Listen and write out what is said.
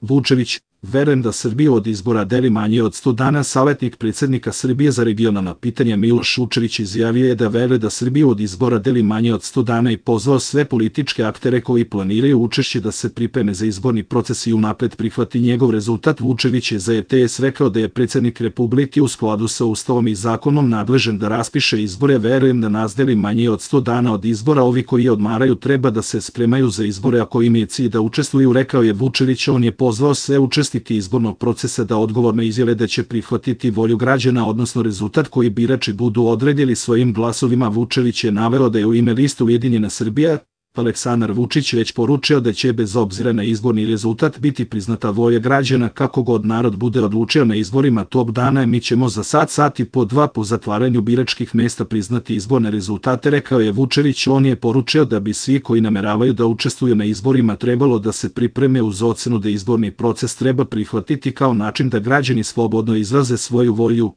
Vučević, verujem da Srbiju od izbora deli manje od 100 dana. Savetnik predsjednika Srbije za regionalna pitanja Miloš Vučević izjavio je da veruje da Srbiju od izbora deli manje od 100 dana i pozvao sve političke aktere koji planiraju učešće da se pripreme za izborni proces i unapred prihvati njegov rezultat. Vučević je za RTS rekao da je predsjednik Republike u skladu sa Ustavom i zakonom nadležan da raspiše izbore. Verujem da nas deli manje od 100 dana od izbora. Ovi koji odmaraju treba da se spremaju za izbore, ako im je cilj da učestvuju, rekao je Vučević. On je pozvao sve učesnike izbornog procesa da odgovorno izjave da će prihvatiti volju građana, odnosno rezultat koji birači budu odredili svojim glasovima. Vučević je naveo da je u ime liste Ujedinjena Srbija Aleksandar Vučić već poručio da će bez obzira na izborni rezultat biti priznata volja građana. Kako god narod bude odlučio na izborima tog dana, mi ćemo za sat i po dva po zatvaranju biračkih mesta priznati izborne rezultate, rekao je Vučević. On je poručio da bi svi koji nameravaju da učestvuju na izborima trebalo da se pripreme uz ocenu da izborni proces treba prihvatiti kao način da građani slobodno izraze svoju volju.